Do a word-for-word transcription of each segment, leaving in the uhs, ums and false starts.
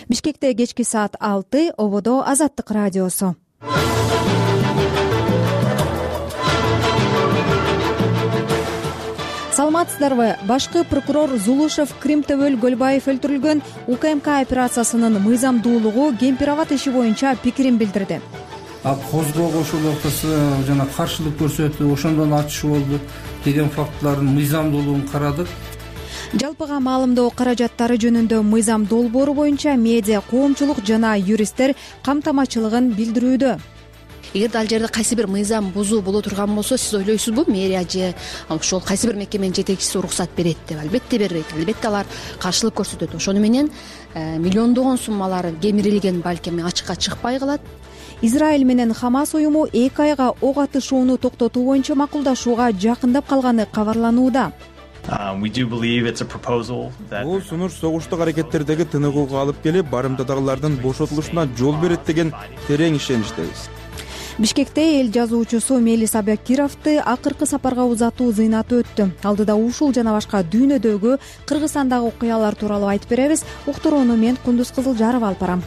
Бишкекте кечки саат алты, ободо Азаттык радиосу. Саламатсыздарбы? Башкы прокурор Зулушев Кримтөбөл Көлбаев өлтүрүлгөн УКМК операциясынын мыйзамдуулугу Кемпир-Абад иши боюнча пикирин билдирди. А козгоого ошол ортосу жана каршылык көрсөтүп, ошондон ачышуу болду деген фактылардын мыйзамдуулугун карадык. Жалпыга маалымдоо каражаттары жөнүндө мыйзам долбоору боюнча медиа коомчулук жана юристтер камтамачылыгын билдирүүдө. Эгерде ал жерде кайсы бир мыйзам бузуу боло турган болсо, сиз ойлойсузбу, мэрия же ошол кайсы бир мекеменин жетекчиси уруксат берет деп? Албетте бербейт. Албетте алар каршылык көрсөтөт. Ошону менен миллиондогон суммалар кемирилген, балким ачыкка чыкпай калат. Израиль менен Хамас уюму эки айга ок атышууну токтотуу боюнча макулдашууга жакындап калганы кабарланууда. Бул сунуш согуштук аракеттердеги тыныгууга алып келип, барымтадагылардын бошотулушуна жол берет деген терең ишеничтебиз. Бишкекте эл жазуучусу Мелис Абакировду акыркы сапарга узатуу зыйнаты өттү. Алдыда ушул жана башка дүйнөдөгү, Кыргызстандагы окуялар тууралуу айтып беребиз. Уктурууну мен Кундуз Кызылжарова алып барам.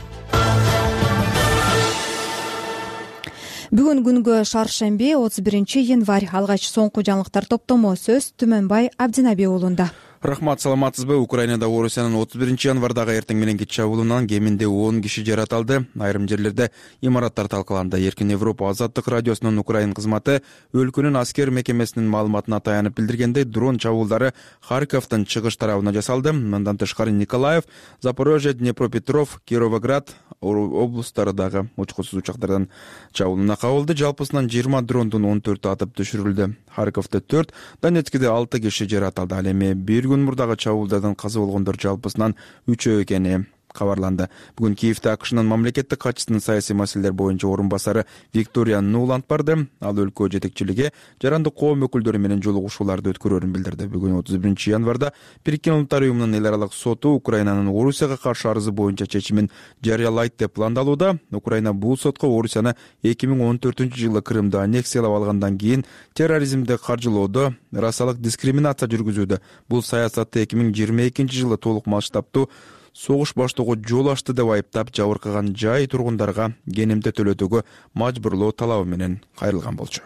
Бүгүн күнгө шаршемби, отуз биринчи январь. Алгач соңку жаңылыктар топтому сөз Түмөнбай Абдинаби уулунда. Рахмат, саламатсызбы? Украинада Орусиянын отуз биринчи январдагы эртең мененки чабуулунан кеминде он киши жаратылды. Айрым жерлерде имараттар талкаланды. Эркин Европа Азаттык радиосунун Украин кызматы өлкөнүн аскер мекемесинин маалыматына таянып билдиргендей, дрон чабуулдары Харьковдун чыгыш тарабына жасалды. Мындан тышкары Николаев, Запорожье, Днепропетров, Кировоград облустарындагы учкусуз учактардан чабуулуна кабылды. Жалпысынан жыйырма дрондун он төртү атып түшүрүлдү. Харьковдо төрт, Донецкиде алты киши жаратылды. Ал эми бир күн мурдагы чабуулдардан каза болгондор жалпысынан үчөө экени кабарланды. Бүгүн Киевде АКШнын мамлекеттик катчысынын саясий маселелер боюнча орун басары Виктория Нуланд барды. Ал өлкө жетекчилиги жарандык коом өкүлдөрү менен жолугушууларды өткөрөрүн билдирди. Бүгүн отуз биринчи январда Бириккен Улуттар уюмунун эл аралык соту Украинанын Орусияга каршы арызы боюнча чечимин жарыялайт деп пландалууда. Украина бул сотко Орусияны эки миң он төртүнчү жылы Крымды аннексиялап алгандан кийин терроризмди каржылоодо, расалык дискриминация жүргүзүүдө, бул саясатты эки миң жыйырма экинчи жылы толук масштабтуу согуш баштоого жол ачты деп айыптап, жабыркаган жай тургундарга кенемде төлөтүүгө мажбурлоо талабы менен кайрылган болчу.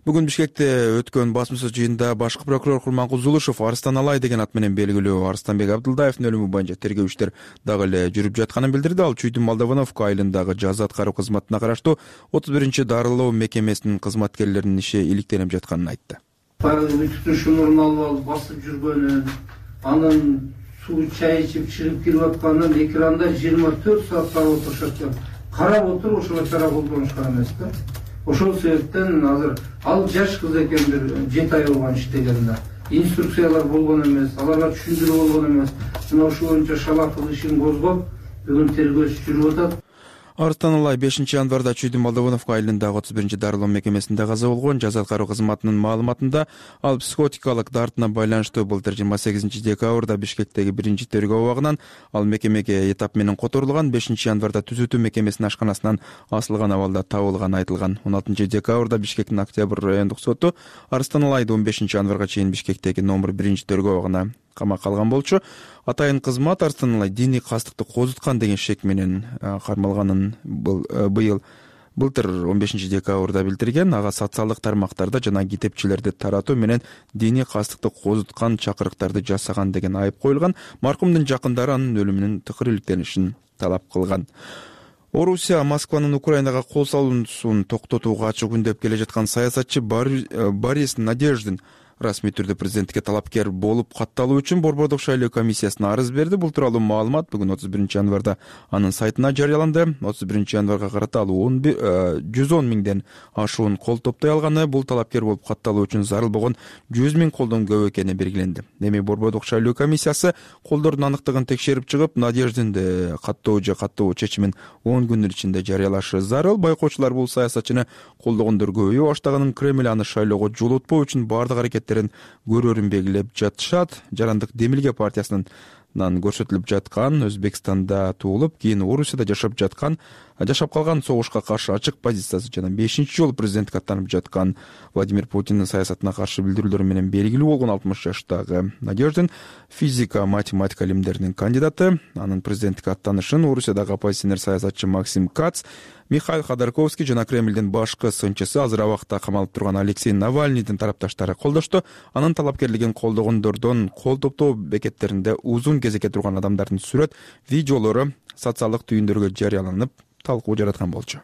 Бүгүн Бишкекте өткөн басма сөз жыйынында башкы прокурор Курманкул Зулушев Арстан Алай деген ат менен белгилүү Арстанбек Абдылдаевдин өлүмү боюнча тергөө иштер дагы эле жүрүп жатканын билдирди. Ал Чүйдүн Молдовановка айылындагы жаза аткаруу кызматына караштуу отуз биринчи дарылоо мекемесинин кызматкерлеринин иши иликтенип жатканын айтты. Түтүншүн алып алып басып жүргөнү, анын суу чай ичип чыгып кирип атканын экранда жыйырма төрт саат карап отурушат экен. Карап отуруп ошого чара колдонушкан эмес да. Ошол себептен азыр ал жаш кыз экен, бир жети ай болгон иштеген да. Инструкциялар болгон эмес, аларга түшүндүрүү болгон эмес. Мына ошол боюнча шалаактык ишин козгоп, бүгүн тергөө иши жүрүп атат. Арстан Алай бешинчи январда Чүйдүн Молдовановка айылындагы отуз биринчи дарылоо мекемесинде каза болгон. Жаза аткаруу кызматынын маалыматында ал психотикалык дартына байланыштуу былтыр жыйырма сегизинчи декабрда Бишкектеги биринчи тергөө абагынан ал мекемеге этап менен которулган. бешинчи январда түзөтүү мекемесинин ашканасынан асылган абалда табылганы айтылган. он алтынчы декабрда Бишкектин Октябрь райондук соту Арстан Алайды он бешинчи январга чейин Бишкектеги номер биринчи тергөө абагына камакка алган болчу. Атайын кызмат Арстан Алай диний кастыкты козуткан деген шек менен кармалганын быйыл былтыр он бешинчи декабрда билдирген. Ага социалдык тармактарда жана китепчилерди таратуу менен диний кастыкты козуткан чакырыктарды жасаган деген айып коюлган. Маркумдун жакындары анын өлүмүнүн тыкыр иликтенишин талап кылган. Орусия Москванын Украинага кол салуусун токтотууга ачык үндөп келе жаткан саясатчы Борис Надеждин расмий түрдө президентке талапкер болуп катталуу үчүн Борбордук шайлоо комиссиясына арыз берди. Бул тууралуу маалымат бүгүн отуз биринчи январда анын сайтына жарыяланды. отуз биринчи январга карата ал жүз он миңден ашуун кол топтой алганы, бул талапкер болуп катталуу үчүн зарыл болгон жүз миң колдон көп экени белгиленди. Эми Борбордук шайлоо комиссиясы колдордун аныктыгын текшерип чыгып, Надеждинди каттоо же каттоо чечимин он күнүн ичинде жарыялашы зарыл. Байкоочулар бул саясатчыны колдогондор көбөйө баштаганын, Кремль аны шайлоого жолотпоо үчүн бардык аракет көрөрүн белгилеп жатышат. Жарандык Демилге партиясынын көрсөтүлүп жаткан, Өзбекстанда туулуп, кийин Орусияда жашап жаткан, жашап калган согушка каршы ачык позициясы жана бешинчи жолу президенттикке аттанып жаткан Владимир Путиндин саясатына каршы билдирүүлөрү менен белгилүү болгон алтымыш жаштагы Надеждин физика, математика илимдеринин кандидаты. Анын президенттикке аттанышын Орусиядагы оппозиционер саясатчы Максим Кац, Михаил Ходорковский жана Кремлдин башкы сынчысы, азыр абакта камалып турган Алексей Навальныйдын тарапташтары колдошту. Анын талапкерлигин колдогондордон кол топтоо бекеттеринде узун кезекке турган адамдардын сүрөт, видеолору социалдык түйүндөргө жарыяланып, талкуу жараткан болчу.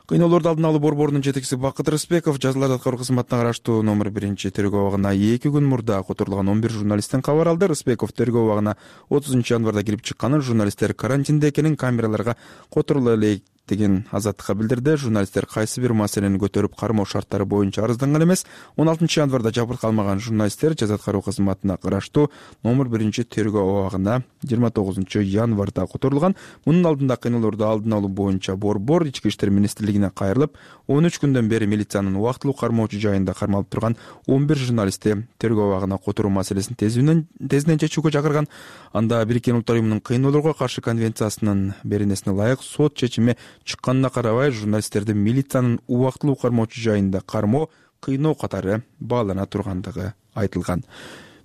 Кыйноолорду алдын алуу борборунун жетекчиси Бакыт Рыспеков жазаларды аткаруу кызматына караштуу номер биринчи тергөө абагына эки күн мурда которулган он бир журналисттен кабар алды. Рыспеков тергөө абагына отузунчу январда кирип чыкканын, журналисттер карантинде экенин, камераларга которула элек деген азаттыкка билдирди. Журналисттер кайсы бир маселени көтөрүп, кармоо шарттары боюнча арызданган эмес. он алтынчы январда жабыркалмаган журналисттер жаза аткаруу кызматына караштуу номер биринчи тергөө абагына жыйырма тогузунчу январда которулган. Мунун алдында кыйноолорду алдын алуу боюнча борбор Ички иштер министрлигине кайрылып, он үч күндөн бери милициянын убактылуу кармоочу жайында кармалып турган он бир журналистти тергөө абагына которуу маселесин тезинен тезинен чечүүгө чакырган. Анда Бириккен Улуттар уюмунун кыйноолорго каршы конвенциясынын беренесине ылайык сот чечими чыкканына карабай, журналисттерди милициянын убактылуу кармоочу жайында кармоо, кыйноо катары баалана тургандыгы айтылган.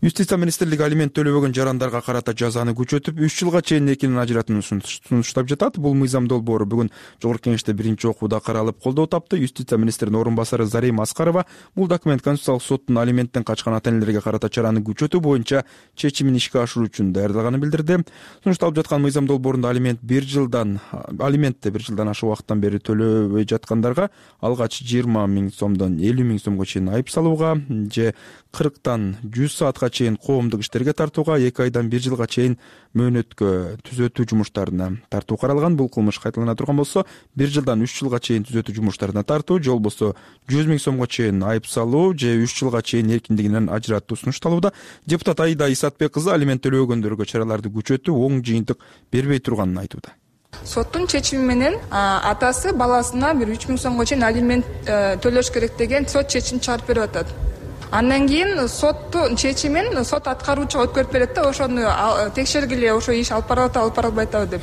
Юстиция министрлиги алимент төлөбөгөн жарандарга карата жазаны күчөтүп, үч жылга чейин экинин ажыратууну сунуштап жатат. Бул мыйзам долбоору бүгүн Жогорку Кеңеште биринчи окууда каралып, колдоо тапты. Юстиция министринин орун басары Зарим Аскарова бул документ Конституциялык соттун алименттен качкан ата-энелерге карата чараны күчөтүү боюнча чечимин ишке ашыруу үчүн даярдалганын билдирди. Сунушталып жаткан мыйзам долбоорунда алимент бир жылдан алиментти бир жылдан ашык убакыттан бери төлөбөй жаткандарга алгач жыйырма миң сомдон элүү миң сомго чейин айып салууга же кырктан жүз саатка чейин коомдук иштерге тартууга, эки айдан бир жылга чейин мөөнөткө түзөтүү жумуштарына тартуу каралган. Бул кылмыш кайталана турган болсо, бир жылдан үч жылга чейин түзөтүү жумуштарына тартуу, же болбосо жүз миң сомго чейин айып салуу же үч жылга чейин эркиндигинен ажыратуу сунушталууда. Депутат Аида Исатбек кызы алимент төлөбөгөндөргө чараларды күчөтүү оң жыйынтык бербей турганын айтууда. Соттун чечими менен атасы баласына бир үч миң сомго чейин алимент төлөш керек деген сот чечим чыгарып берип атат. Андан кийин соттун чечимин сот аткаруучуга өткөрүп берет да, ошону текшергиле, ошо иш алып барып атабы, алып бара албай атабы деп.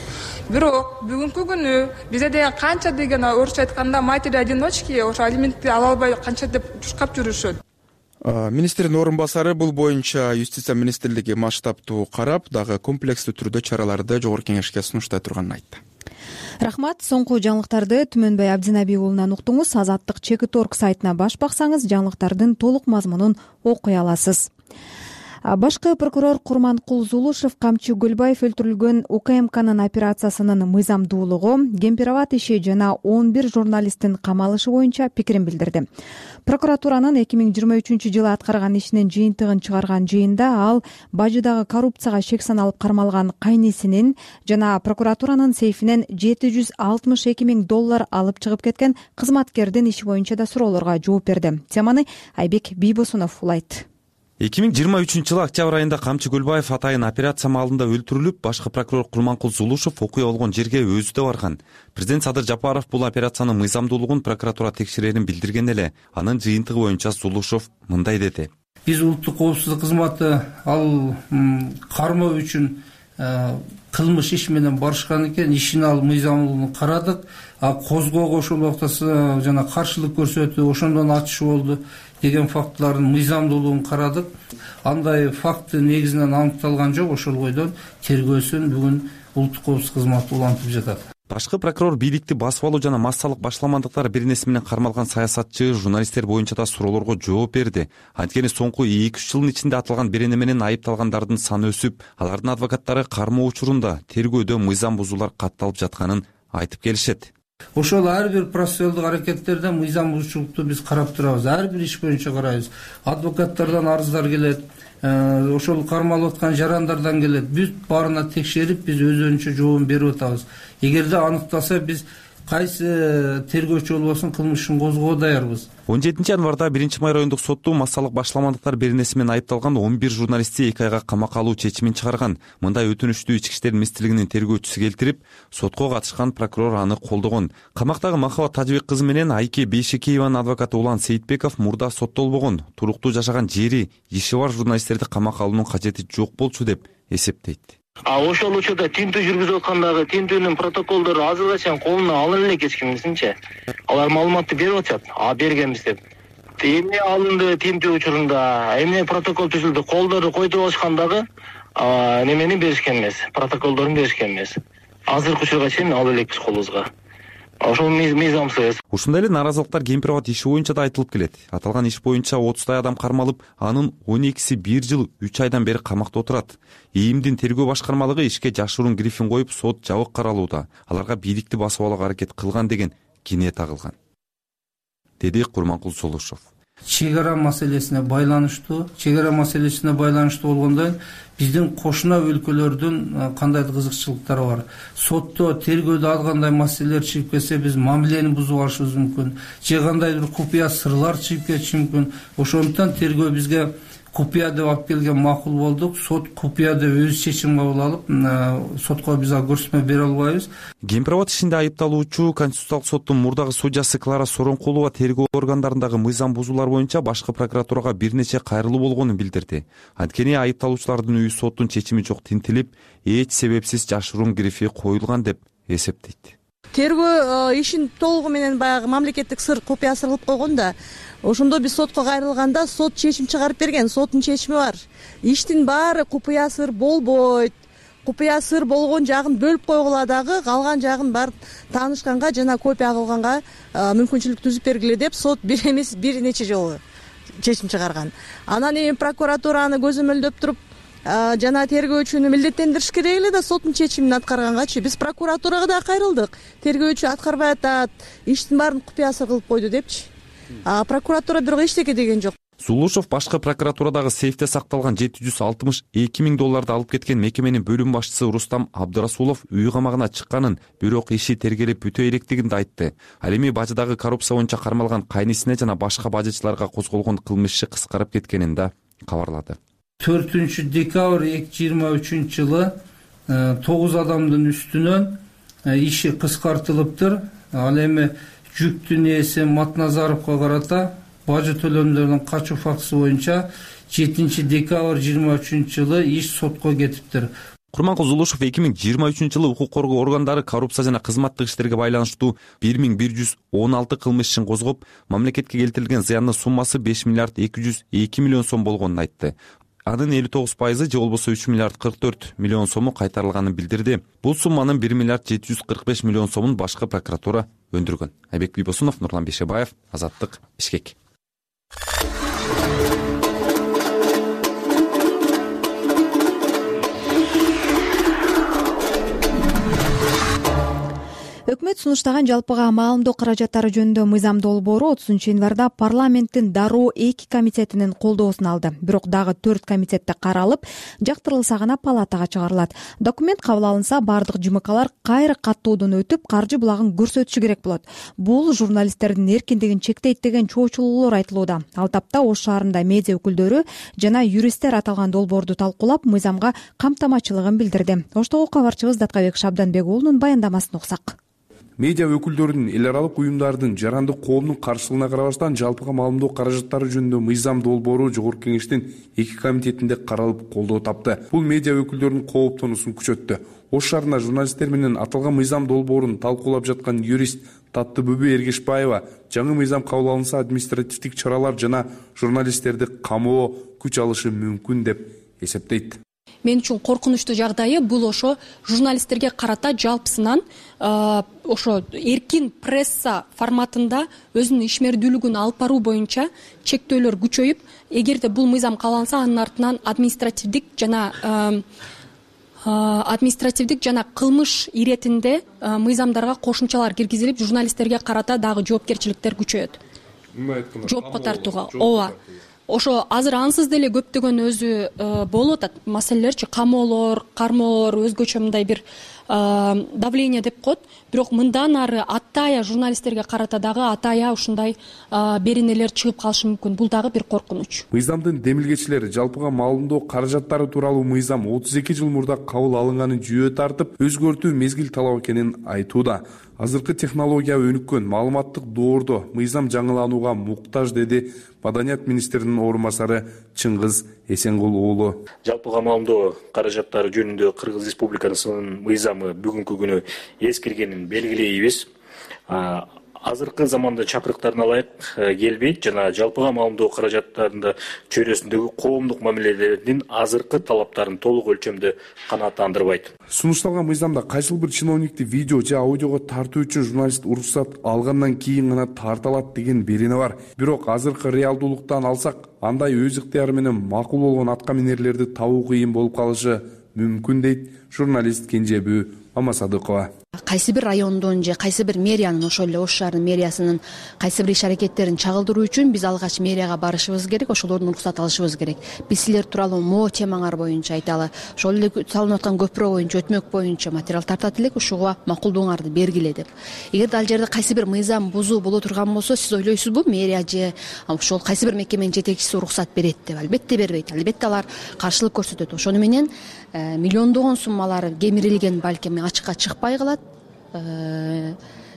Бирок бүгүнкү күнү бизде деген канча деген орусча айтканда матери одиночки ошо алиментти ала албай канча деп жушкап жүрүшөт. Министрдин орун басары бул боюнча Юстиция министрлиги масштабтуу карап, дагы комплекстүү түрдө чараларды Жогорку Кеңешке сунуштай турганын айтты. Рахмат. Соңку жаңылыктарды Түмөнбай Абдинабий уулунан уктуңуз. Азаттык чекит точка орг сайтына баш баксаңыз, жаңылыктардын толук мазмунун окуй аласыз. Башкы прокурор Курманкул Зулушев Камчы Гөлбаев өлтүрүлгөн У К М Кнын операциясынын мыйзамдуулугу, Кемпирабад иши жана он бир журналисттин камалышы боюнча пикирин билдирди. Прокуратуранын эки миң жыйырма үчүнчү жылы аткарган ишинин жыйынтыгын чыгарган жыйында ал бажыдагы коррупцияга шек саналып кармалган кайнисинин жана прокуратуранын сейфинен жети жүз алтымыш эки миң доллар алып чыгып кеткен кызматкердин иши боюнча да суроолорго жооп берди. Теманы Айбек Бийбосунов улайт. эки миң жыйырма үчүнчү жылы октябрь айында Камчы Гөлбаев атайын операция маалында өлтүрүлүп, башкы прокурор Курманкул Зулушев окуя болгон жерге өзү да барган. Президент Садыр Жапаров бул операциянын мыйзамдуулугун прокуратура текшерерин билдирген эле. Анын жыйынтыгы боюнча Зулушев мындай деди. Биз улуттук коопсуздук кызматы ал кармоо үчүн кылмыш иш менен барышкан экен, ишин ал мыйзамдуулугун карадык. А козгоого ошол убакта жана каршылык көрсөтүү, ошондон ачыш болду деген фактылардын мыйзамдуулугун карадык. Андай факты негизинен аныкталган жок. Ошол бойдон тергөөсүн бүгүн улуттук коопсуздук кызматы улантып жатат. Башкы прокурор бийликти басып алуу жана массалык башламандыктар беренеси менен кармалган саясатчы, журналисттер боюнча да суроолорго жооп берди. Анткени соңку эки үч жылдын ичинде атылган берене менен айыпталгандардын саны өсүп, алардын адвокаттары кармоо учурунда тергөөдө мыйзам бузуулар катталып жатканын айтып келишет. Ошол ар бир процессуалдык аракеттерде мыйзам бузуучулукту биз карап турабыз. Ар бир иш боюнча карайбыз. Адвокаттардан арыздар келет, ошол кармалып аткан жарандардан келет. Бүт баарына текшерип, биз өзүнчө жообун берип атабыз. Эгерде аныкталса, биз кайсы тергөөчү болбосун кылмыш ишин козгоого даярбыз. он жетинчи январда биринчи май райондук соту массалык башаламандыктар беренеси менен айыпталган он бир журналистти эки айга камакка алуу чечимин чыгарган. Мындай өтүнүштү Ички иштер министрлигинин тергөөчүсү келтирип, сотко катышкан прокурор аны колдогон. Камактагы Махабат Тажыбек кызы менен Айке Бейшекееванын адвокаты Улан Сейитбеков мурда соттолбогон, туруктуу жашаган жери, иши бар журналисттерди камакка алуунун кажети жок болчу деп эсептейт. А ошол учурда тинтүү жүргүзүп аткандагы тинтүүнүн протоколдору азыркыга чейин колуна алына элек эч кимдинчи. Алар маалыматты берип атышат. А бергенбиз деп. Эмне алынды тинтүү учурунда, эмне протокол түзүлдү, колдору койдуруп алышкандагы немени беришкен эмес, протоколдорун беришкен эмес. Азыркы учурга чейин ала элекпиз колубузга. Ошол мыйзамсыз. Ушундай эле нааразылыктар Кемпирабад иши боюнча да айтылып келет. Аталган иш боюнча отуздай адам кармалып, анын он экиси бир жыл үч айдан бери камакта отурат. ИИМдин тергөө башкармалыгы ишке жашыруун грифин коюп, сот жабык каралууда. Аларга бийликти басып алууга аракет кылган деген кине тагылган, деди Курманкул Сулушов. Чек ара маселесине байланыштуу, чек ара маселесине байланыштуу болгондон биздин кошуна өлкөлөрдүн кандайдыр кызыкчылыктары бар. Сотто тергөөдө ал кандай маселелер чыгып келсе, биз мамилени бузуп алышыбыз мүмкүн. Же кандайдыр купуя сырлар чыгып кетиши мүмкүн. Ошондуктан тергөө бизге купуя деп алып келген макул болдук. Сот купуя деп өз чечим кабыл алып, сотко биз көрсөтмө бере албайбыз. Кемпирабад ишинде айыпталуучу Конституциялык соттун мурдагы судьясы Клара Соронкулова тергөө органдарындагы мыйзам бузуулар боюнча башкы прокуратурага бир нече кайрылуу болгонун билдирди. Анткени айыпталуучулардын үйү соттун чечими жок тинтилип, эч себепсиз жашыруун грифи коюлган деп эсептейт. Тергөө ишин толугу менен баягы мамлекеттик сыр, купуя сыр кылып койгон да. Ошондо биз сотко кайрылганда сот чечим чыгарып берген, соттун чечими бар. Иштин баары купуя сыр болбойт. Купуя сыр болгон жагын бөлүп койгула дагы, калган жагын бар таанышканга жана копия кылганга мүмкүнчүлүк түзүп бергиле деп сот бир эмес бир нече жолу чечим чыгарган. Анан эми прокуратураны көзөмөлдөп туруп, жана тергөөчүнү милдеттендириш керек эле да соттун чечимин аткаргангачы. Биз прокуратурага да кайрылдык. Тергөөчү аткарбай атат, иштин баарын купуя сыр кылып койду депчи. А прокуратура бирок эчтеке деген жок. Сулушов башкы прокуратурадагы сейфте сакталган жети жүз алтымыш эки миң долларды алып кеткен мекеменин бөлүм башчысы Рустам Абдырасулов үй камагына чыкканын, бирок иши тергелеп бүтө электигин да айтты. Ал эми бажыдагы коррупция боюнча кармалган кайнисине жана башка бажычыларга козголгон кылмыш иши кыскарып кеткенин да кабарлады. төртүнчү декабрь эки миң жыйырма үчүнчү жылы тогуз адамдын үстүнөн иши кыскартылыптыр. Ал эми жүктүн ээси Матназаровго карата бажы төлөмдөрүнүн качуу фактысы боюнча жетинчи декабрь жыйырма үчүнчү жылы иш сотко кетиптир. Курманкул Сулушов эки миң жыйырма үчүнчү жылы укук коргоо органдары коррупция жана кызматтык иштерге байланыштуу бир миң бир жүз он алты кылмыш ишин козгоп, мамлекетке келтирилген зыяндын суммасы беш миллиард эки жүз эки миллион сом болгонун айтты. Анын элүү тогуз пайызы же болбосо үч миллиард кырк төрт миллион сому кайтарылганын билдирди. Бул сумманын бир миллиард жети жүз кырк беш миллион сомун башкы прокуратура өндүргөн. Айбек Бийбосунов, Нурлан Бейшебаев, Азаттык, Бишкек. Өкмөт сунуштаган жалпыга маалымдоо каражаттары жөнүндө мыйзам долбоору отузунчу январда парламенттин дароо эки комитетинин колдоосун алды. Бирок дагы төрт комитетте каралып, жактырылса гана палатага чыгарылат. Документ кабыл алынса, бардык жумакалар кайра каттоодон өтүп, каржы булагын көрсөтүшү керек болот. Бул журналисттердин эркиндигин чектейт деген чоочулуулар айтылууда. Ал тапта Ош шаарында медиа өкүлдөрү жана юристтер аталган долбоорду талкуулап, мыйзамга камтамачылыгын билдирди. Оштогу кабарчыбыз Даткабек Шабданбек уулунун баяндамасын окусак. Медиа өкүлдөрүнүн эл аралык уюмдардын жарандык коомдун каршылыгына карабастан жалпыга маалымдоо каражаттары жөнүндө мыйзам долбоору Жогорку Кеңештин эки комитетинде каралып колдоо тапты. Бул медиа өкүлдөрүнүн кооптонуусун күчөттү. Ош шаарында журналисттер менен аталган мыйзам долбоорун талкуулап жаткан юрист Таттыбүбү Эргешбаева жаңы мыйзам кабыл алынса административдик чаралар жана журналисттерди камоо күч алышы мүмкүн деп эсептейт. Мен үчүн коркунучтуу жагдайы бул ошо журналисттерге карата жалпысынан ошо эркин пресса форматында өзүнүн ишмердүүлүгүн алып баруу боюнча чектөөлөр күчөйүп, эгерде бул мыйзам кабыл алынса, анын артынан административдик жана административдик жана кылмыш иретинде мыйзамдарга кошумчалар киргизилип, журналисттерге карата дагы жоопкерчиликтер күчөйөт. Жоопко тартууга. Ооба. Ошо азыр ансыз деле көптөгөн өзү болуп атат маселелерчи, камоолор, кармоолор, өзгөчө мындай бир давление деп коет, бирок мындан ары атая журналисттерге карата дагы атая ушундай беренелер чыгып калышы мүмкүн. Бул дагы бир коркунуч. Мыйзамдын демилгечилери жалпыга маалымдоо каражаттары тууралуу мыйзам отуз эки жыл мурда кабыл алынганын жүйө тартып, өзгөртүү мезгил талап экенин айтууда. Азыркы технология өнүккөн, маалыматтык доордо мыйзам жаңыланууга муктаж, деди Маданият министринин орун басары Чыңгыз Эсенгул уулу. Жалпыга маалымдоо каражаттары жөнүндө Кыргыз Республикасынын мыйзамы бүгүнкү күнү эскиргенин белгилейбиз. Азыркы заманда чакырыктарына ылайык келбейт жана жалпыга маалымдоо каражаттарында чөйрөсүндөгү коомдук мамилелердин азыркы талаптарын толук өлчөмдө канааттандырбайт. Сунушталган мыйзамда кайсыл бир чиновникти видео же аудиого тартуу үчүн журналист уруксат алгандан кийин гана тарта алат деген берене бар. Бирок азыркы реалдуулуктан алсак, андай өз ыктыяры менен макул болгон атка минерлерди табуу кыйын болуп калышы мүмкүн, дейт журналист Кенжебүү Мамасадыкова. Кайсы бир райондун же кайсы бир мэриянын, ошол эле Ош шаарынын мэриясынын кайсы бир иш аракеттерин чагылдыруу үчүн биз алгач мэрияга барышыбыз керек, ошолордун уруксат алышыбыз керек. Биз силер тууралуу могу темаңар боюнча айткалы, ошол эле салынып аткан көпүрө боюнча, өтмөк боюнча материал тартат элек, ушуга макулдугуңарды бергиле деп. Эгерде ал жерде кайсы бир мыйзам бузуу боло турган болсо, сиз ойлойсузбу, мэрия же ошол кайсы бир мекеменин жетекчиси уруксат берет деп? Албетте бербейт. Албетте алар каршылык көрсөтөт. Ошону менен миллиондогон суммалар кемирилген, балким ачыкка чыкпай калат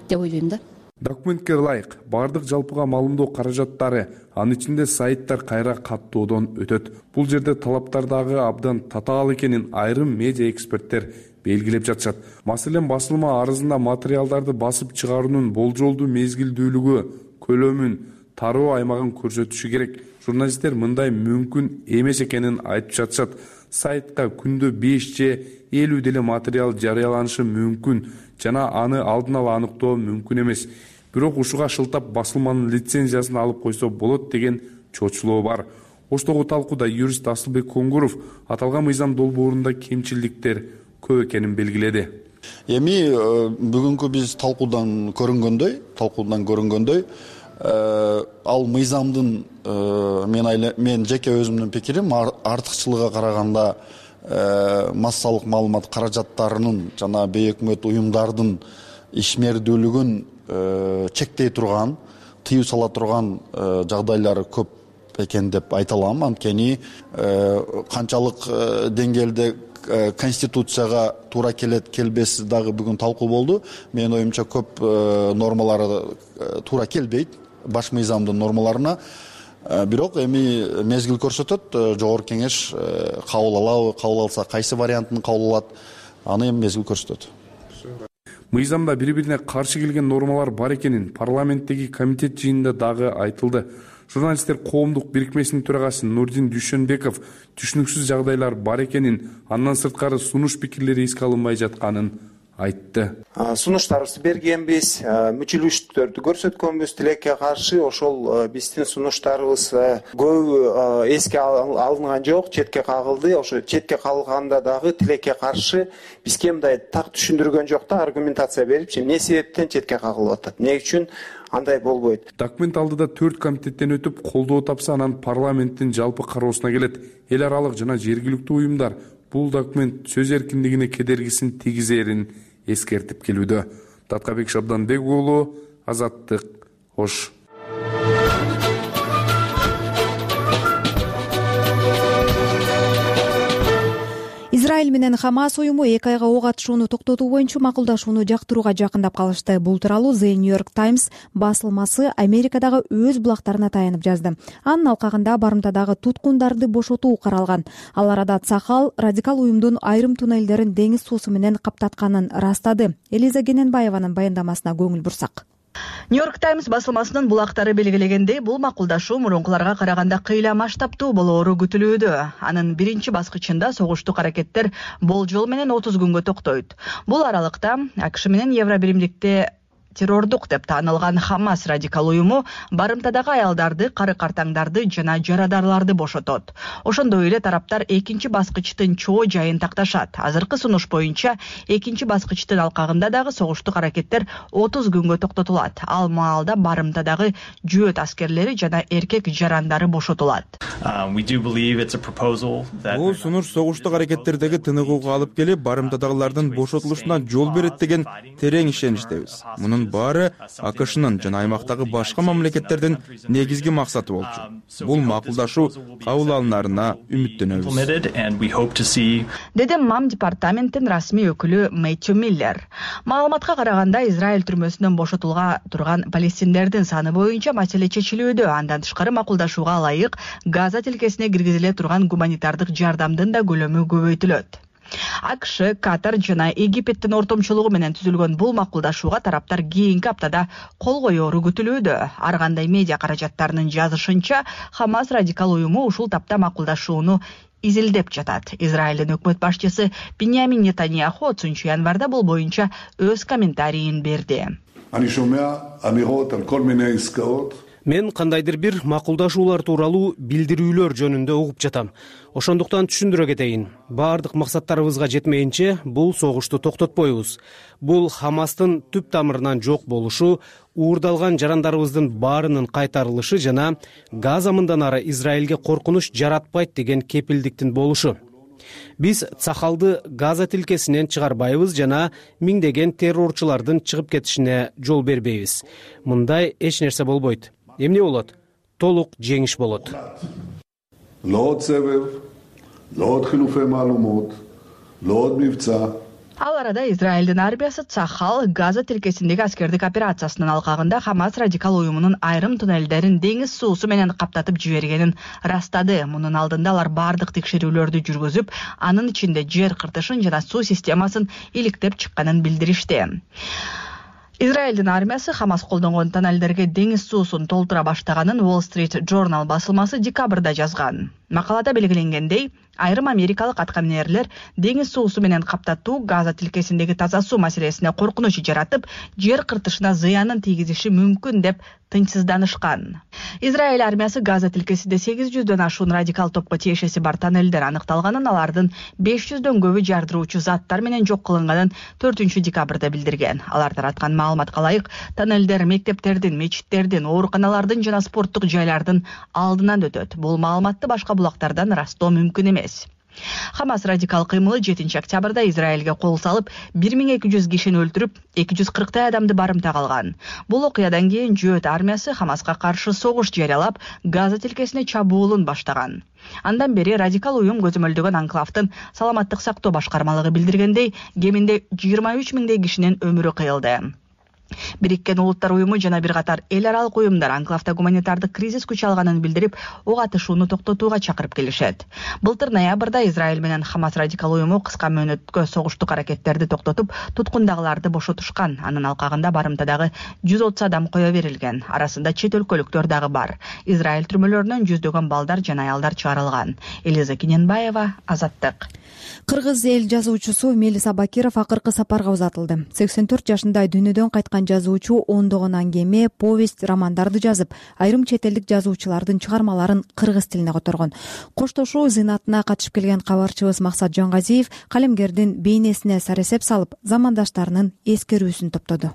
деп ойлойм да. Документке ылайык бардык жалпыга маалымдоо каражаттары, анын ичинде сайттар кайра каттоодон өтөт. Бул жерде талаптар дагы абдан татаал экенин айрым медиа эксперттер белгилеп жатышат. Маселен, басылма арызында материалдарды басып чыгаруунун болжолдуу мезгилдүүлүгү, көлөмүн, тароо аймагын көрсөтүшү керек. Журналисттер мындай мүмкүн эмес экенин айтып жатышат. Сайтка күндө беш же элүү деле материал жарыяланышы мүмкүн жана аны алдын ала аныктоо мүмкүн эмес. Бирок ушуга шылтап басылманын лицензиясын алып койсо болот деген чочулоо бар. Оштогу талкууда юрист Асылбек Коңгуров аталган мыйзам долбоорунда кемчиликтер көп экенин белгиледи. Эми бүгүнкү биз талкуудан көрүнгөндөй, талкуудан көрүнгөндөй, ал мыйзамдын мен мен жеке өзүмдүн пикирим артыкчылыгына караганда массалык маалымат каражаттарынын жана бейөкмөт уюмдардын ишмердүүлүгүн чектей турган, тыюу сала турган жагдайлары көп экен деп айта алам. Анткени канчалык деңгээлде конституцияга туура келет келбеси дагы бүгүн талкуу болду. Менин оюмча көп нормалары туура келбейт баш мыйзамдын нормаларына. Бирок эми мезгил көрсөтөт, жогорку кеңеш кабыл алабы, кабыл алса кайсы вариантын кабыл алат, аны эми мезгил көрсөтөт. Мыйзамда бири-бирине каршы келген нормалар бар экенин парламенттеги комитет жыйынында дагы айтылды. Журналисттер коомдук бирикмесинин төрагасы Нурдин Дүйшөнбеков түшүнүксүз жагдайлар бар экенин, андан сырткары сунуш пикирлери эске алынбай жатканын айтты. Сунуштарыбызды бергенбиз, мүчүлүштөрдү көрсөткөнбүз, тилекке каршы ошол биздин сунуштарыбыз көп эске алынган жок, четке кагылды. Ошо четке калганда дагы тилекке каршы бизге мындай так түшүндүргөн жок да, аргументация берип, эмне себептен четке кагылып атат, эмне үчүн андай болбойт. Документ алдыда төрт комитеттен өтүп, колдоо тапса, анан парламенттин жалпы кароосуна келет. Эл аралык жана жергиликтүү уюмдар бул документ сөз эркиндигине кедергисин тийгизерин эскертип келүүдө. Таткабек Шабданбек уулу, Азаттык, Ош. Израиль менен Хамас уюму эки айга ок атышууну токтотуу боюнча макулдашууну жактырууга жакындап калышты. Бул тууралуу The New York Times басылмасы Америкадагы өз булактарына таянып жазды. Анын алкагында барымтадагы туткундарды бошотуу каралган. Ал арада Цахал радикал уюмдун айрым туннелдерин деңиз суусу менен каптатканын растады. Элиза Гененбаеванын баяндамасына көңүл бурсак. Нью-Йорк Таймс басылмасынын булактары белгилегендей, бул макулдашуу мурункуларга караганда кыйла масштабтуу болоору күтүлүүдө. Анын биринчи баскычында согуштук аракеттер болжол менен отуз күнгө токтойт. Бул аралыкта АКШ менен Евробиримдикте террордук деп таанылган Хамас радикал уюму барымтадагы аялдарды, кары картаңдарды жана жарадарларды бошотот. Ошондой эле тараптар экинчи баскычтын чоо жайын такташат. Азыркы сунуш боюнча экинчи баскычтын алкагында дагы согуштук аракеттер отуз күнгө токтотулат. Ал маалда барымтадагы жөөт аскерлери жана эркек жарандары бошотулат. Бул сунуш согуштук аракеттердеги тыныгууга алып келип, барымтадагылардын бошотулушуна жол берет деген терең ишеничтебиз. Мунун баары АКШнын жана аймактагы башка мамлекеттердин негизги максаты болчу. Бул макулдашуу кабыл алынарына үмүттөнөбүз. Деди МАМ департаменттин расмий өкүлү Мэттью Миллер. Маалыматка караганда, Израиль түрмөсүнөн бошотулга турган палестиндердин саны боюнча маселе чечилүүдө. Андан тышкары макулдашууга ылайык Газа тилкесине киргизиле турган гуманитардык жардамдын да көлөмү көбөйтүлөт. АКШ, Катар жана Египеттин ортомчулугу менен түзүлгөн бул макулдашууга тараптар кийинки аптада кол коёру күтүлүүдө. Ар кандай медиа каражаттарынын жазышынча, Хамас радикал уюму ушул тапта макулдашууну изилдеп жатат. Израилдин өкмөт башчысы Биньямин Нетаньяху отузунчу январда бул боюнча өз комментарийин берди. Мен кандайдыр бир макулдашуулар тууралуу билдирүүлөр жөнүндө угуп жатам. Ошондуктан түшүндүрө кетейин. Баардык максаттарыбызга жетмейинче бул согушту токтотпойбуз. Бул Хамастын түп тамырынан жок болушу, уурдалган жарандарыбыздын баарынын кайтарылышы жана Газа мындан ары Израилге коркунуч жаратпайт деген кепилдиктин болушу. Биз цахалды Газа тилкесинен чыгарбайбыз жана миңдеген террорчулардын чыгып кетишине жол бербейбиз. Мындай эч нерсе болбойт. Эмне болот? Толук жеңиш болот. Ал арада Израилдин армиясы Цахал Газа тилкесиндеги аскердик операциясынын алкагында Хамас радикал уюмунун айрым туннелдерин деңиз суусу менен каптатып жибергенин растады. Мунун алдында алар бардык текшерүүлөрдү жүргүзүп, анын ичинде жер кыртышын жана суу системасын иликтеп чыкканын билдиришти. Израилдин армиясы Хамас колдонгон тоннелдерге деңиз суусун толтура баштаганын Wall Street Journal басылмасы декабрда жазган. Макалада белгиленгендей, айрым америкалык аткаминерлер деңиз суусу менен каптатуу Газа тилкесиндеги таза суу маселесине коркунуч жаратып, жер кыртышына зыянын тийгизиши мүмкүн деп тынчсызданышкан. Израиль армиясы Газа тилкесинде сегиз жүздөн ашуун радикал топко тиешеси бар тоннелдер аныкталганын, алардын беш жүздөн көбү жардыруучу заттар менен жок кылынганын төртүнчү декабрда билдирген. Алар тараткан маалыматка ылайык, тоннелдер мектептердин, мечиттердин, ооруканалардын жана спорттук жайлардын алдынан өтөт. Бул маалыматты башка булактардан ырастоо мүмкүн эмес. Хамас радикал кыймылы жетинчи октябрда Израилге кол салып, бир миң эки жүз кишини өлтүрүп, эки жүз кырктай адамды барымта калган. Бул окуядан кийин жөөт армиясы Хамаска каршы согуш жарыялап, Газа тилкесине чабуулун баштаган. Андан бери радикал уюм көзөмөлдөгөн анклавдын саламаттык сактоо башкармалыгы билдиргендей, кеминде жыйырма үч миңдей кишинин өмүрү кыйылды. Бириккен Улуттар уюму жана бир катар эл аралык уюмдар анклавда гуманитардык кризис күч алганын билдирип, ок атышууну токтотууга чакырып келишет. Былтыр ноябрда Израиль менен Хамас радикал уюму кыска мөөнөткө согуштук аракеттерди токтотуп, туткундагыларды бошотушкан. Анын алкагында барымтадагы жүз отуз адам кое берилген. Арасында чет өлкөлүктөр дагы бар. Израиль түрмөлөрүнөн жүздөгөн балдар жана аялдар чыгарылган. Элиза Киненбаева, Азаттык. Кыргыз эл жазуучусу Мелис Абакиров акыркы сапарга узатылды. сексен төрт жашында дүйнөдөн кайткан жазуучу ондогон аңгеме, повесть, романдарды жазып, айрым чет элдик жазуучулардын чыгармаларын кыргыз тилине которгон. Коштошуу зыйнатына катышып келген кабарчыбыз Максат Жангазиев калемгердин бейнесине саресеп салып, замандаштарынын эскерүүсүн топтоду.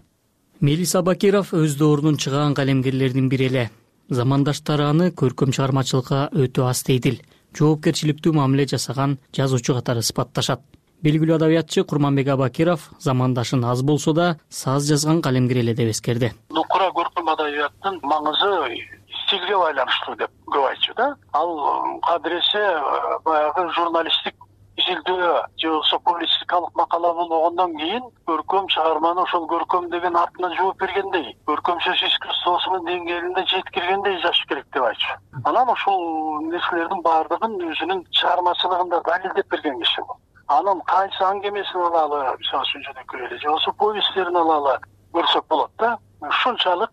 Мелис Абакиров өз доорунун чыган калемгерлердин бири эле. Замандаштары аны көркөм чыгармачылыкка өтө аз дейдил, жоопкерчиликтүү мамиле жасаган жазуучу катары сыпатташат. Белгилүү адабиятчы Курманбек Абакиров замандашын аз болсо да саз жазган калемгер эле деп эскерди. Нукура көркөм адабияттын маңызы стилге байланыштуу деп көп айтчу да. Ал кадыресе баягы журналисттик изилдөө же болбосо публицистикалык макала болгондон кийин көркөм чыгарманы ошол көркөм деген атына жооп бергендей, көркөм сөз искусствосунун деңгээлинде жеткиргендей жазыш керек деп айтчу. Анан ошол нерселердин баардыгын өзүнүн чыгармачылыгында далилдеп берген киши бул. Анын кайсы аңгемесин алалы, мисалы үчүн жөнөкөй эле же болбосо повесттерин алалы көрсөк болот да. Ушунчалык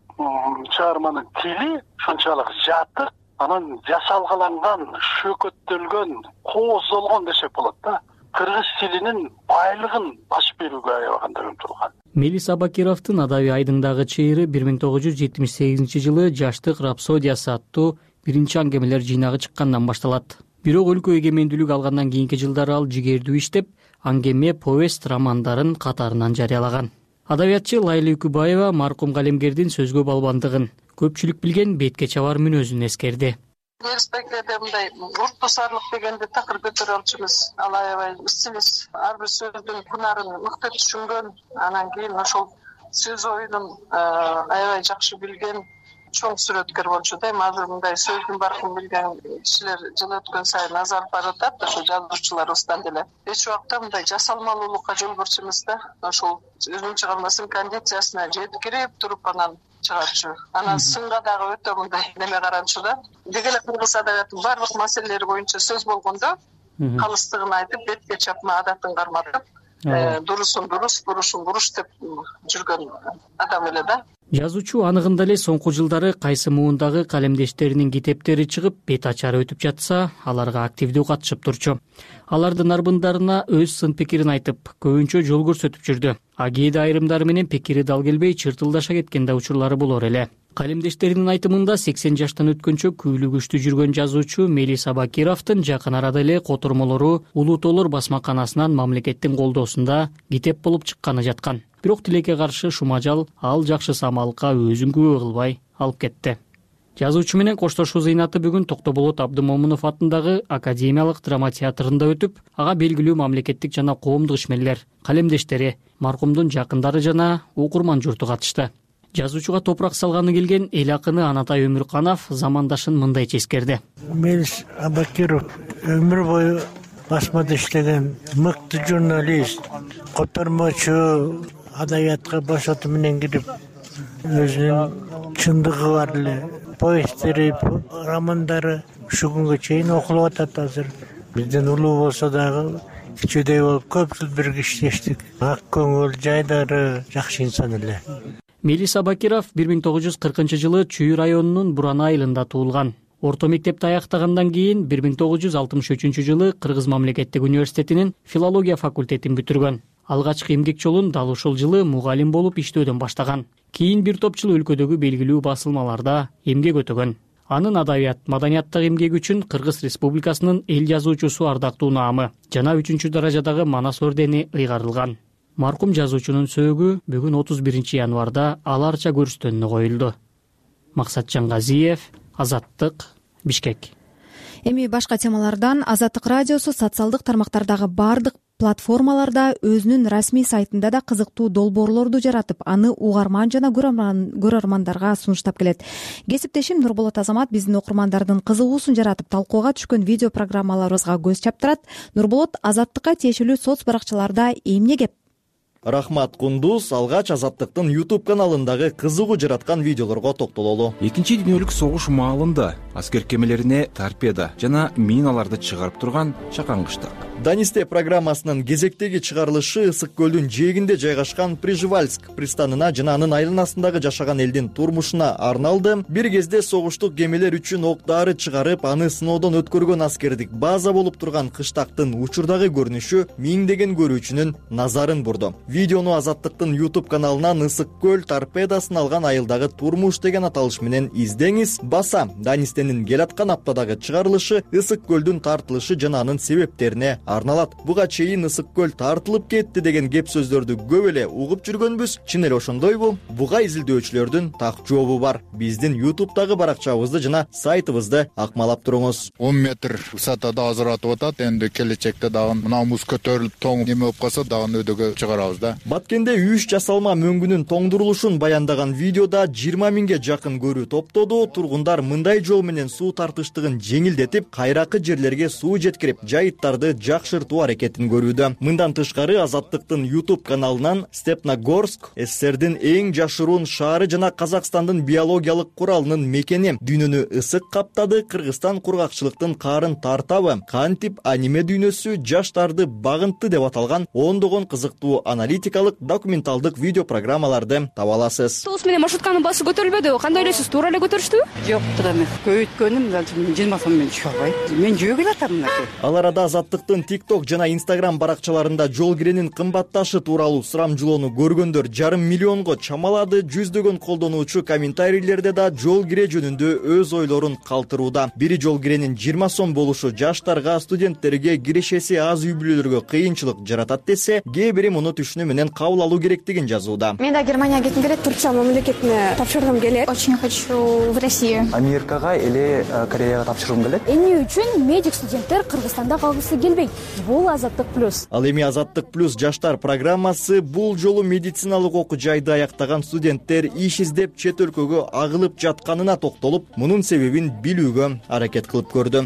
чыгарманын тили, ушунчалык жатыр, анан жасалгаланган, шөкөттөлгөн, кооздолгон десек болот да. Кыргыз тилинин байлыгын басып берүүгө аябаганда умтулган. Мелис Абакировдун адабий айдыңдагы чыйыры бир миң тогуз жүз жетимиш сегизинчи жылы Жаштык рапсодиясы аттуу биринчи аңгемелер жыйнагы чыккандан башталат. Бирок өлкө эгемендүүлүк алгандан кийинки жылдары ал жигердүү иштеп, аңгеме, повесть, романдарын катарынан жарыялаган. Адабиятчы Лайла Үкүбаева маркум калемгердин сөзгө балбандыгын, көпчүлүк билген бетке чабар мүнөзүн эскерди. Респектеде мындай уртбасарлык дегенди такыр көтөрө алчумуз. Ал аябай стилист, ар бир сөздүн кунарын мыкты түшүнгөн, анан кийин ошол сөз оюнун аябай жакшы билген чоң сүрөткөр болчу да. Эми азыр мындай сөздүн баркын билген кишилер жыл өткөн сайын азалып баратат, ошо жазуучуларыбыздан деле. Эч убакта мындай жасалмалуулукка жол берчүбүз да. Ошол өзүнүн чыгармасынын кондициясына жеткирип туруп анан чыгарчу. Анан сынга дагы өтө мындай неме каранчу да. Деги эле кыргыз адабиятынын баардык маселелери боюнча сөз болгондо калыстыгын айтып, бетке чапма адатын карматып, дурусун дурус, бурушун буруш деп жүргөн адам эле да. Жазуучу аныгында эле соңку жылдары кайсы муундагы калемдештеринин китептери чыгып, бет ачары өтүп жатса, аларга активдүү катышып турчу. Алардын арбындарына өз сын пикирин айтып, көбүнчө жол көрсөтүп жүрдү. А кээде айрымдары менен пикири дал келбей, чыртылдаша кеткен да учурлары болор эле. Калемдештеринин айтымында сексен жаштан өткөнчө күүлүгүчтүү жүргөн жазуучу Мелис Абакировдун жакын арада эле котормолору Улуу Тоолор басмаканасынан мамлекеттин колдоосунда китеп болуп чыкканы жаткан. Бирок тилекке каршы шумажал ал жакшы самалыкка өзүн күбө кылбай алып кетти. Жазуучу менен коштошуу зыйнаты бүгүн Токтоболот Абдымомунов атындагы Академиялык драма театрында өтүп, ага белгилүү мамлекеттик жана коомдук ишмерлер, калемдештери, маркумдун жакындары жана окурман журту катышты. Жазуучуга топурак салганы келген эл акыны Анатай Өмүрканов замандашын мындай эскерди. Мелис Абакиров өмүр бою басмада иштеген мыкты журналист, котормочу, адабиятка бошоту менен кирип, өзүнүн чындыгы бар эле повесттери, романдары ушу күнгө чейин окулуп атат азыр. Бизден улуу болсо дагы кичүүдөй болуп көп жыл бирге иштештик. Ак көңүл, жайдары жакшы инсан эле. Мелис Абакиров бир миң тогуз жүз кыркынчы жылы Чүй районунун Буран айылында туулган. Орто мектепти аяктагандан кийин бир миң тогуз жүз алтымыш үчүнчү жылы Кыргыз мамлекеттик университетинин филология факультетин бүтүргөн. Алгачкы эмгек жолун дал ушул жылы мугалим болуп иштөөдөн баштаган. Кийин бир топ жыл өлкөдөгү белгилүү басылмаларда эмгек өтөгөн. Анын адабият, маданияттагы эмгеги үчүн Кыргыз Республикасынын эл жазуучусу ардактуу наамы жана үчүнчү даражадагы Манас ордени ыйгарылган. Маркум жазуучунун сөөгү бүгүн отуз биринчи январда аларча көрүстөнүнө коюлду. Максатжан Газиев, Азаттык, Бишкек. Эми башка темалардан Азаттык радиосу социалдык тармактардагы бардык платформаларда өзүнүн расмий сайтында да кызыктуу долбоорлорду жаратып, аны угарман жана көрөрмандарга сунуштап келет. Кесиптешим Нурболот Азамат биздин окурмандардын кызыгуусун жаратып, талкууга түшкөн видео программаларыбызга көз чаптырат. Нурболот, Азаттыкка тиешелүү соц баракчаларда эмне кеп? Рахмат Кундуз, алгач Азаттыктын YouTube каналындагы кызыгуу жараткан видеолорго токтололу. Экинчи дүйнөлүк согуш маалында аскер кемелерине торпеда жана миналарды чыгарып турган чакаңгычтак. Данисте программасынын кезектеги чыгарылышы Ысык көлдүн жээгинде жайгашкан Прижевальск пристанына жана анын айланасындагы жашаган элдин турмушуна арналды. Бир кезде согуштук кемелер үчүн ок-дары чыгарып, аны сыноодон өткөргөн аскердик база болуп турган кыштактын учурдагы көрүнүшү миңдеген көрүүчүнүн назарын бурду. Видеону Азаттыктын YouTube каналынан Ысык көл торпедасын алган айылдагы турмуш деген аталыш менен издеңиз. Баса Данистенин кел аткан аптадагы чыгарылышы Ысык көлдүн тартылышы жана анын себептерине арналат. Буга чейин Ысык көл тартылып кетти деген кеп сөздөрдү көп эле угуп жүргөнбүз. Чын эле ошондойбу? Буга изилдөөчүлөрдүн так жообу бар. Биздин YouTube'дагы баракчабызды жана сайтыбызды акмалап туруңуз. он метр высотада ажыратып атат. Энди келечекте дагы мына муз көтөрүлүп тоң неме болуп калса дагы өйдөгө чыгарабыз да. Баткенде үч жасалма мөңгүнүн тоңдурулушун баяндаган видеода жыйырма миңге жакын көрүү топтоду. Тургундар мындай жол менен суу тартыштыгын жеңилдетип, кайракы жерлерге суу жеткирип, жайыттарды жакшыртуу аракетин көрүүдө. Мындан тышкары Азаттыктын YouTube каналынан Степногорск СССРдин эң жашыруун шаары жана Казакстандын биологиялык куралынын мекени, дүйнөнү ысык каптады, Кыргызстан кургакчылыктын каарын тартабы, кантип аниме дүйнөсү жаштарды багынтты деп аталган ондогон кызыктуу аналитикалык документалдык видео программаларды таба аласыз. Автобус менен маршрутканын баасы көтөрүлбөдүбү? Кандай элесиз? Туура эле көтөрүштүбү? Жок, туура эмес. Көбөйткөнүм жыйырма сом менен түшө албайт. Мен жөө келатам мынакей. Ал арада Азаттыктын TikTok жана Instagram баракчаларында жол киренин кымбатташы тууралуу сурамжылоону көргөндөр жарым миллионго чамалады. Жүздөгөн колдонуучу комментарийлерде да жол кире жөнүндө өз ойлорун калтырууда. Бири жол киренин жыйырма сом болушу жаштарга, студенттерге, кирешеси аз үй бүлөлөргө кыйынчылык жаратат десе, кээ бири муну түшүнүү менен кабыл алуу керектигин жазууда. Мен да Германияга кетким келет, Турция мамлекетине тапшыргым келет. Очень хочу в Россию. Америкага или Кореяга тапшыргым келет. Эмне үчүн медик студенттер Кыргызстанда калгысы келбейт? Бул Азаттык плюс. Ал эми Азаттык плюс жаштар программасы бул жолу медициналык окуу жайды аяктаган студенттер иш издеп чет өлкөгө агылып жатканына токтолуп, мунун себебин билүүгө аракет кылып көрдү.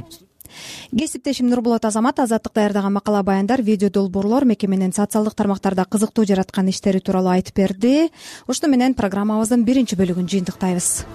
Кесиптешим Нурбулат Азамат Азаттык даярдаган макала баяндар, видео долбоорлор мекеменин социалдык тармактарда кызыктуу жараткан иштери тууралуу айтып берди. Ошону менен программабыздын биринчи бөлүгүн жыйынтыктайбыз.